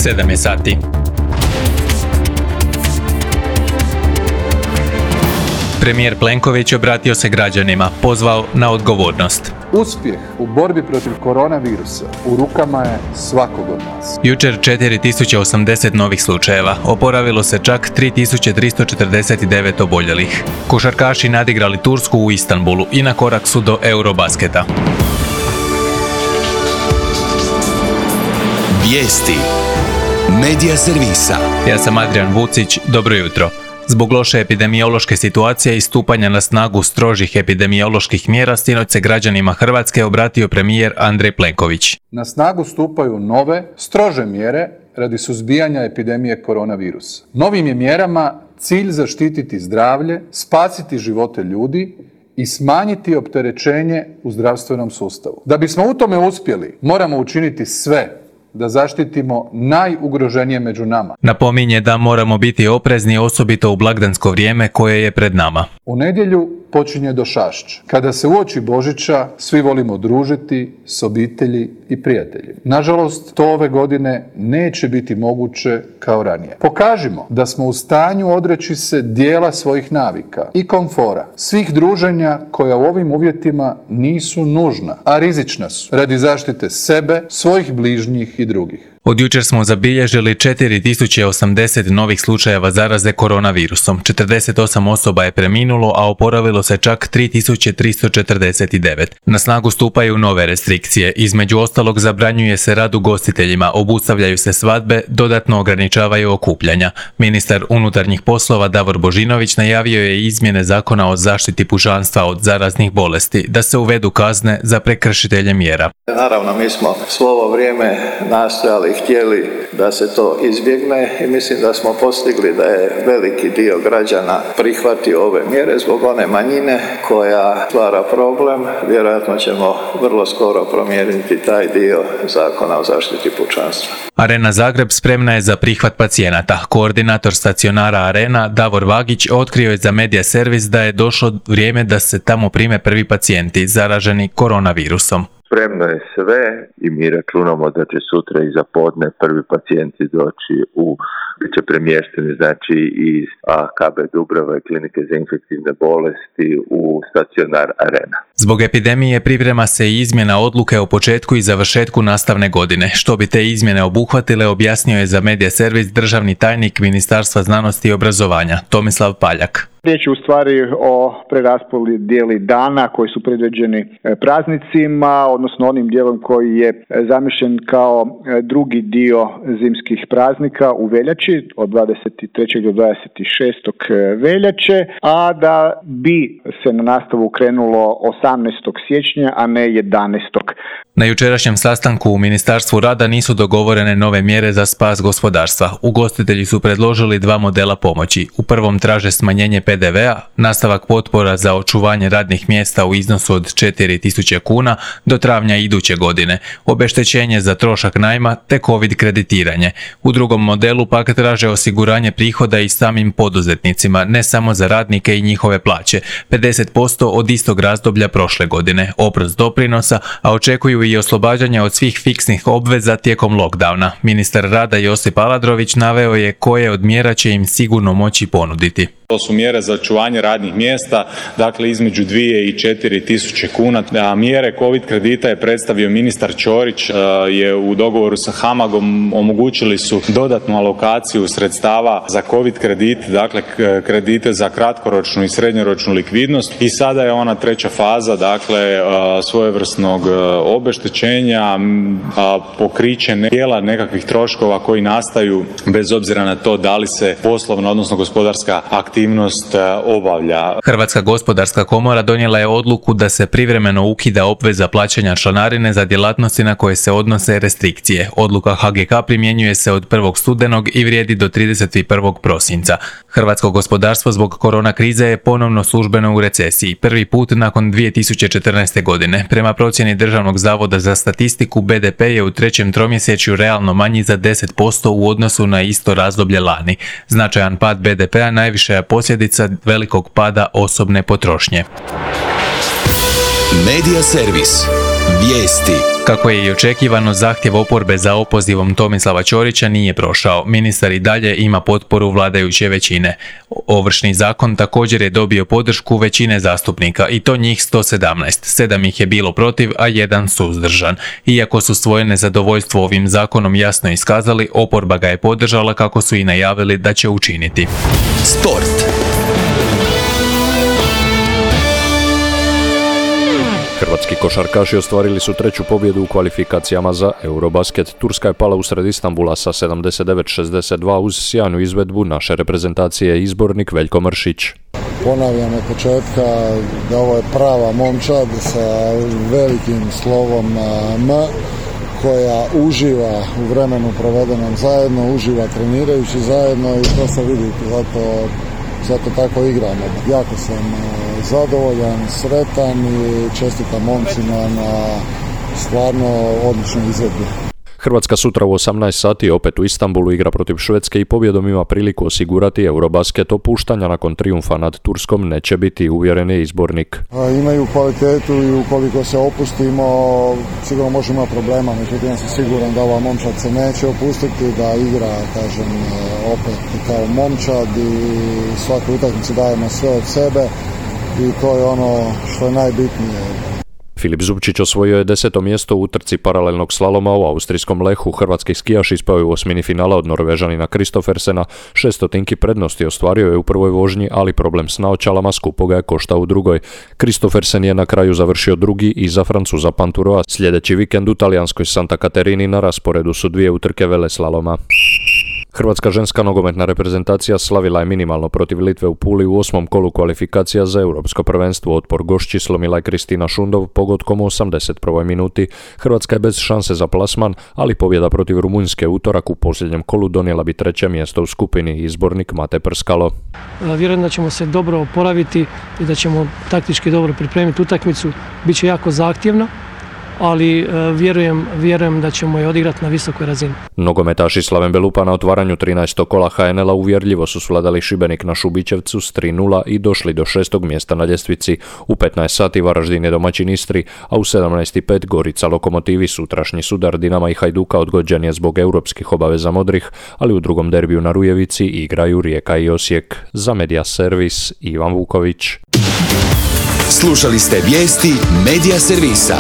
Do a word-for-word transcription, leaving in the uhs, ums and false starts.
sedam je sati. Premijer Plenković obratio se građanima, pozvao na odgovornost. Uspjeh u borbi protiv koronavirusa u rukama je svakog od nas. Jučer četiri tisuće osamdeset novih slučajeva, oporavilo se čak tri tisuće tristo četrdeset devet oboljelih. Košarkaši nadigrali Tursku u Istanbulu i na korak su do Eurobasketa. Vijesti Medija servisa. Ja sam Adrian Vucić, dobro jutro. Zbog loše epidemiološke situacije i stupanja na snagu strožih epidemioloških mjera, sinoć se građanima Hrvatske obratio premijer Andrej Plenković. Na snagu stupaju nove, strože mjere radi suzbijanja epidemije koronavirusa. Novim je mjerama cilj zaštititi zdravlje, spasiti živote ljudi i smanjiti opterećenje u zdravstvenom sustavu. Da bismo u tome uspjeli, moramo učiniti sve da zaštitimo najugroženije među nama. Napominje da moramo biti oprezni, osobito u blagdansko vrijeme koje je pred nama. U nedjelju počinje došašć. Kada se uoči Božića, svi volimo družiti s obitelji i prijatelji. Nažalost, to ove godine neće biti moguće kao ranije. Pokažimo da smo u stanju odreći se dijela svojih navika i komfora, svih druženja koja u ovim uvjetima nisu nužna, a rizična su radi zaštite sebe, svojih bližnjih i drugih. Od jučer smo zabilježili četiri tisuće osamdeset novih slučajeva zaraze koronavirusom. četrdeset osam osoba je preminulo, a oporavilo se čak tri tisuće tristo četrdeset devet. Na snagu stupaju nove restrikcije. Između ostalog zabranjuje se rad ugostiteljima, obustavljaju se svadbe, dodatno ograničavaju okupljanja. Ministar unutarnjih poslova Davor Božinović najavio je izmjene zakona o zaštiti pučanstva od zaraznih bolesti, da se uvedu kazne za prekršitelje mjera. Naravno, mi smo svo ovo vrijeme nastojali i htjeli da se to izbjegne i mislim da smo postigli da je veliki dio građana prihvatio ove mjere zbog one manjine koja stvara problem. Vjerojatno ćemo vrlo skoro promijeniti taj dio zakona o zaštiti pučanstva. Arena Zagreb spremna je za prihvat pacijenata. Koordinator stacionara Arena Davor Vagić otkrio je za Medija servis da je došlo vrijeme da se tamo prime prvi pacijenti zaraženi koronavirusom. Spremno je sve i mi računamo da će sutra i za podne prvi pacijenti doći u, bit će premješteni znači iz K B Dubrava i Klinike za infektivne bolesti u stacionar Arena. Zbog epidemije priprema se i izmjena odluke o početku i završetku nastavne godine. Što bi te izmjene obuhvatile, objasnio je za Medija servis državni tajnik Ministarstva znanosti i obrazovanja Tomislav Paljak. Riječ je u stvari o preraspodjeli dana koji su predviđeni praznicima, odnosno onim dijelom koji je zamišljen kao drugi dio zimskih praznika u veljači od dvadeset trećeg do dvadeset šestog veljače, a da bi se na nastavu krenulo osamnaestog siječnja, a ne jedanaestog Na jučerašnjem sastanku u Ministarstvu rada nisu dogovorene nove mjere za spas gospodarstva. Ugostitelji su predložili dva modela pomoći. U prvom traže smanjenje P D V-a, nastavak potpora za očuvanje radnih mjesta u iznosu od četiri tisuće kuna do travnja iduće godine, obeštećenje za trošak najma te COVID kreditiranje. U drugom modelu pak traže osiguranje prihoda i samim poduzetnicima, ne samo za radnike i njihove plaće, pedeset posto od istog razdoblja prošle godine, oprost doprinosa, a očekuju i oslobađanje od svih fiksnih obveza tijekom lockdowna. Ministar rada Josip Aladrović naveo je koje od mjera će im sigurno moći ponuditi. To su mjere za očuvanje radnih mjesta, dakle između dvije i četiri tisuće kuna. A mjere COVID kredita je predstavio ministar Ćorić, je u dogovoru sa HAMAG-om omogućili su dodatnu alokaciju sredstava za COVID kredit, dakle kredite za kratkoročnu i srednjoročnu likvidnost i sada je ona treća faza, dakle svojevrsnog obeštećenja, pokriće dijela nekakvih troškova koji nastaju bez obzira na to da li se poslovna odnosno gospodarska aktivnost obavlja. Hrvatska gospodarska komora donijela je odluku da se privremeno ukida obveza plaćanja članarine za djelatnosti na koje se odnose restrikcije. Odluka H G K primjenjuje se od prvog studenog i vrijedi do trideset prvog prosinca. Hrvatsko gospodarstvo zbog korona krize je ponovno službeno u recesiji, prvi put nakon dvije tisuće četrnaeste. godine. Prema procjeni Državnog zavoda za statistiku, B D P je u trećem tromjesečju realno manji za deset posto u odnosu na isto razdoblje lani. Značajan pad B D P-a najviše je posljedica velikog pada osobne potrošnje. Medija servis. Vijesti. Kako je i očekivano, zahtjev oporbe za opozivom Tomislava Ćorića nije prošao. Ministar i dalje ima potporu vladajuće većine. Ovršni zakon također je dobio podršku većine zastupnika i to njih sto sedamnaest. Sedam ih je bilo protiv, a jedan suzdržan. Iako su svoje nezadovoljstvo ovim zakonom jasno iskazali, oporba ga je podržala kako su i najavili da će učiniti. Sport. Hrvatski košarkaši ostvarili su treću pobjedu u kvalifikacijama za Eurobasket. Turska je pala usred Istanbula sa sedamdeset devet šezdeset dva uz sjajnu izvedbu naše reprezentacije, izbornik Veljko Mršić. Ponavljam od početka da ovo je prava momčad sa velikim slovom M, koja uživa u vremenu provedenom zajedno, uživa trenirajući zajedno i to se vidi, zato, zato tako igramo. Jako sam zadovoljan, sretan i čestitam momcima na stvarno odličnoj izvedbi. Hrvatska sutra u osamnaest sati opet u Istanbulu igra protiv Švedske i pobjedom ima priliku osigurati Eurobasket. Opuštanja nakon trijumfa nad Turskom neće biti, uvjeren je izbornik. Imaju kvalitetu i ukoliko se opustimo sigurno možemo imati problema, međutim ja sam siguran da ova momčad se neće opustiti, da igra, kažem, opet kao momčad i svaku utakmicu dajemo sve od sebe i to je ono što je najbitnije. Filip Zubčić osvojio je deseto mjesto u utrci paralelnog slaloma u austrijskom Lehu. Hrvatski skijaš ispao je u osmini finala od Norvežanina Kristoffersena. Šestotinki prednosti ostvario je u prvoj vožnji, ali problem s naočalama skupo ga je koštao u drugoj. Kristoffersen je na kraju završio drugi iza Francuza Panturoa. Sljedeći vikend u talijanskoj Santa Caterini na rasporedu su dvije utrke veleslaloma. Hrvatska ženska nogometna reprezentacija slavila je minimalno protiv Litve u Puli u osmom kolu kvalifikacija za europsko prvenstvo. Otpor gošći slomila je Kristina Šundov pogodkom u osamdeset prvoj minuti. Hrvatska je bez šanse za plasman, ali pobjeda protiv Rumunjske utorak u posljednjem kolu donijela bi treće mjesto u skupini, izbornik Mate Prskalo. Vjerujem da ćemo se dobro oporaviti i da ćemo taktički dobro pripremiti utakmicu. Biće jako zahtjevna, ali vjerujem, vjerujem da ćemo je odigrati na visokoj razini. Nogometaši Slaven Belupa na otvaranju trinaestog kola ha en el-a uvjerljivo su svladali Šibenik na Šubićevcu s tri nula i došli do šestog mjesta na ljestvici. U petnaest sati Varaždin je domaćin Istri, a u sedamnaest i pet Gorica Lokomotivi. Sutrašnji sudar Dinama i Hajduka odgođen je zbog europskih obaveza modrih, ali u drugom derbiju na Rujevici igraju Rijeka i Osijek. Za Media Servis Ivan Vuković. Slušali ste vijesti Media Servisa.